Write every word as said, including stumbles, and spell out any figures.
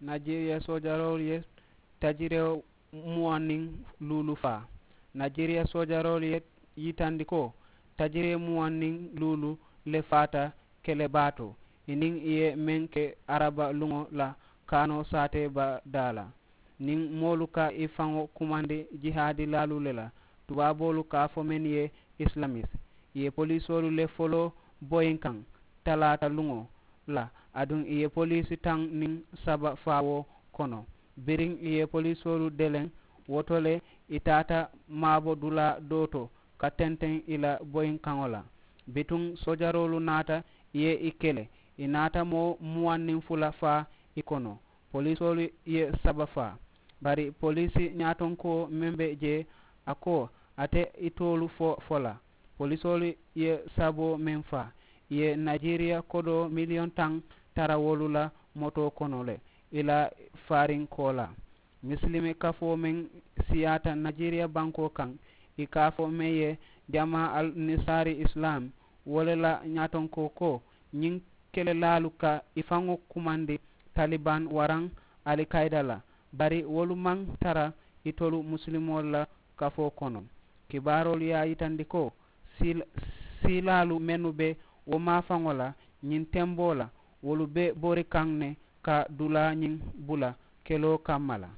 Najeriya soojaroolu ye tajiree muwaŋ niŋ luulu faa. Najeriya soojaroolu ye yitandi ko tajiree muwaŋ niŋ luulu le faata kele baa to, i niŋ i ye meŋ ke araba luŋo la kaanoo saatee ba daa la. Niŋ moolu ka i faŋo kumandi jihaadilaalu le la, tubaaboolu ka a fo mennu ye, islamis, i ye poliisoolu le foloo boyinkaŋ talaata luŋo la, aduŋ i ye poliisi taŋ niŋ saba faa wo kono. Biriŋ i ye poliisoolu deleŋ, wo to le i taata maabo dulaa doo to ka tenteŋ i la boyinkaŋo la. Bituŋ soojaroolu naata i ye i kele, i naata moo muwaŋ niŋ fula faa i kono. Poliisoolu ye saba faa. Bari poliisi ñaatonkoo meŋ be jee, a ko a te itoolu fo fo la. Poliisoolu ye saboo meŋ faa, i ye najeriya kodoo miliyoŋ taŋ tara wolu la motoo kono le i la faarinkoo la. Misilime kafoo meŋ siyaata najeriya bankoo kaŋ, i ka a fo meŋ ye, jamaa al nisaari islam, wo le la ñaatonkoo ko ñiŋ kelelaalu ka i faŋo kumandi taliban waraŋ alikayida la, bari wolu maŋ tara itolu musilimoolu la kafoo kono. Kibaaroolu ye a yitandi ko siilaalu mennu be wo maafaŋo la ñiŋ temboo la, wolu be bori kaŋ ne ka dulaa ñiŋ bula keloo kamma la.